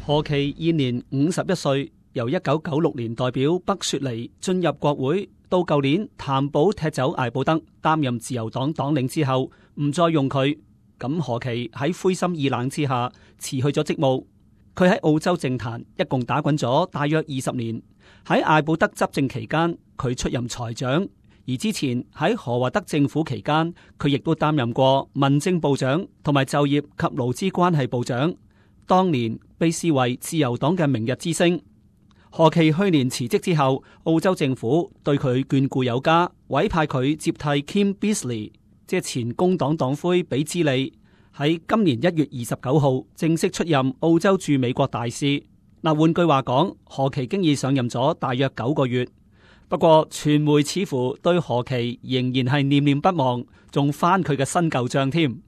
何其現年51歲，由1996年代表北雪梨進入國會，到舊年譚寶踢走艾布德擔任自由黨黨領之後，唔再用佢。咁何其喺灰心意冷之下辭去咗職務。佢喺澳洲政壇一共打滾咗大約20年。喺艾布德執政期間，佢出任財長；而之前喺何華德政府期間，佢亦都擔任過民政部長同埋就業及勞資關係部長。當年被視為自由黨嘅明日之星。何其去年辭職之後，澳洲政府對佢眷顧有加，委派佢接替 Kim Beazley， 即係前工黨黨魁比茲利，喺今年1月29號正式出任澳洲駐美國大使。嗱，換句話講，何其經已上任咗大約9個月。不過傳媒似乎對何其仍然係念念不忘，仲翻佢嘅新舊賬添。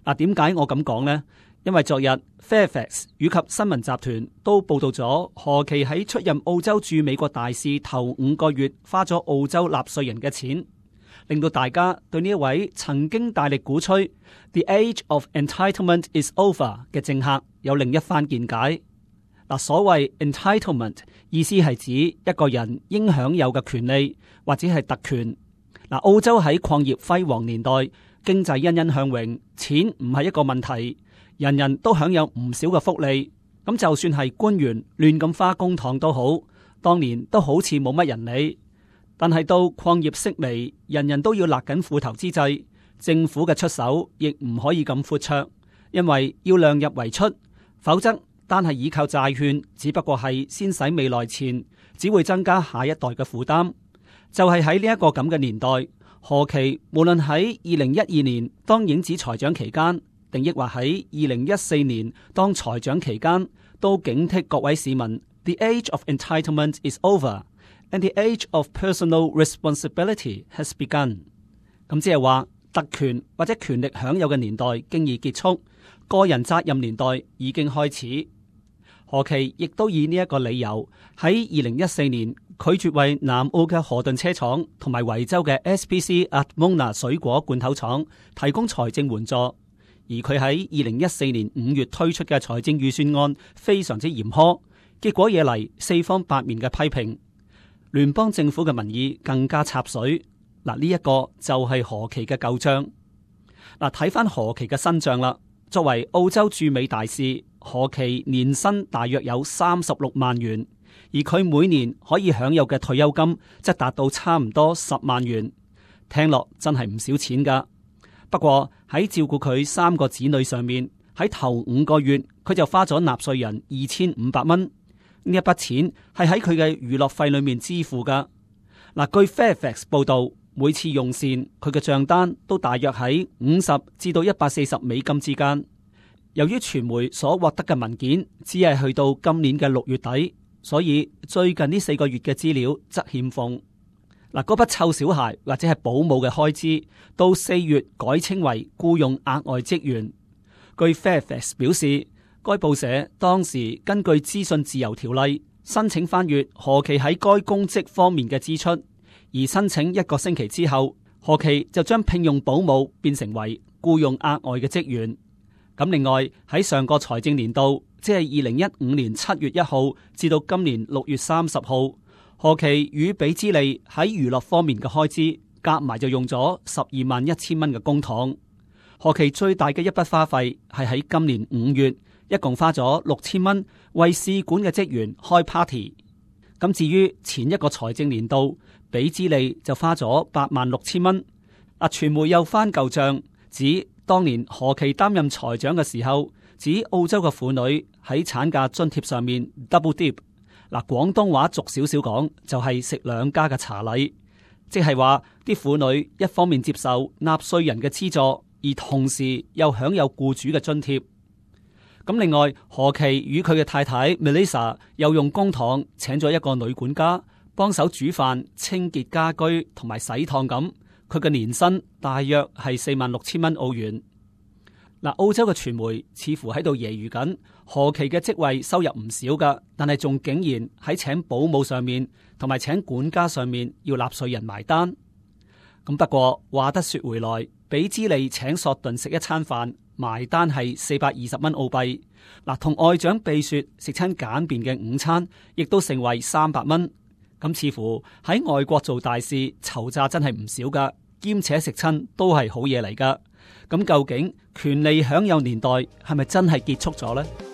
嗱，點解我咁講呢？因為昨日 Fairfax 以及新聞集團都報道咗何其喺出任澳洲駐美國大使頭5個月花咗澳洲納稅人嘅錢，令到大家對呢一位曾經大力鼓吹 The Age of Entitlement is over 嘅政客有另一番見解。嗱，所謂 entitlement 意思係指一個人應享有嘅權利或者係特權。嗱，澳洲喺礦業輝煌年代，經濟欣欣向榮，錢唔係一個問題。人人都享有唔少嘅福利，咁就算係官員亂咁花公帑都好，當年都好似冇乜人理。但係到礦業式微，人人都要勒緊褲頭之際，政府嘅出手亦唔可以咁闊綽，因為要量入為出，否則單係依靠債券，只不過係先使未來錢，只會增加下一代嘅負擔。就係喺呢一個咁嘅年代，何其無論喺2012年當影子財長期間，定抑或喺2014年當財長期間，都警惕各位市民 The age of entitlement is over and the age of personal responsibility has begun。 咁即係話特權或者權力享有嘅年代經已結束，個人責任年代已經開始。何其亦都以呢一個理由喺2014年拒絕為南澳嘅河頓車廠同埋維州嘅 SPC Atmona 水果罐頭廠提供財政援助。而佢喺2014年5月推出嘅財政預算案非常之嚴苛，結果惹嚟四方八面嘅批評，聯邦政府嘅民意更加插水。嗱，呢一個就係何其嘅舊賬。嗱，睇翻何其嘅新賬啦。作為澳洲駐美大使，何其年薪大約有36萬元，而佢每年可以享有嘅退休金則達到差唔多10萬元，聽落真係唔少錢噶。不過喺照顧佢3個子女上面，喺頭5個月佢就花咗納稅人2500蚊。呢一筆錢係喺佢嘅娛樂費裏面支付噶。嗱，據 Fairfax 報道，每次用膳佢嘅賬單都大約喺50至到140美金之間。由於傳媒所獲得嘅文件只係去到今年嘅6月底，所以最近呢4個月嘅資料則欠奉。嗱，嗰筆湊小孩或者係保姆嘅開支，到4月改稱為僱用額外職員。據 Fairfax 表示，該報社當時根據資訊自由條例申請翻閱何其喺該公職方面嘅支出，而申請1個星期之後，何其就將聘用保姆變成為僱用額外嘅職員。咁另外喺上個財政年度，即係2015年7月1號至到今年6月30號，何其與比茲利喺娛樂方面嘅開支夾埋就用咗12萬1千蚊嘅公帑。何其最大嘅一筆花費係喺今年5月，一共花咗6000蚊為試管嘅職員開 party。咁至於前一個財政年度，比茲利就花咗8萬6千蚊。傳媒又翻舊賬，指當年何其擔任財長嘅時候，指澳洲嘅婦女喺產假津貼上面 double dip。廣東話俗少少講就係食兩家嘅茶禮，即係話啲婦女一方面接受納稅人嘅資助，而同時又享有僱主嘅津貼。咁另外，何其與佢嘅太太 Melissa 又用公帑請咗一個女管家幫手煮飯、清潔家居同埋洗燙咁，佢嘅年薪大約係4萬6千蚊澳元。澳洲嘅傳媒似乎喺度揶揄緊何其嘅職位收入唔少噶，但係仲竟然喺請保姆上面同埋請管家上面要納稅人埋單。咁不過話得說回來，比茲利請索頓食一餐飯，埋單係420蚊澳幣。嗱，同外長秘書食餐簡便嘅午餐，亦都成為300蚊。咁似乎喺外國做大事籌詐真係唔少噶，兼且食親都係好嘢嚟噶。咁究竟權利享有年代係咪真係結束咗呢？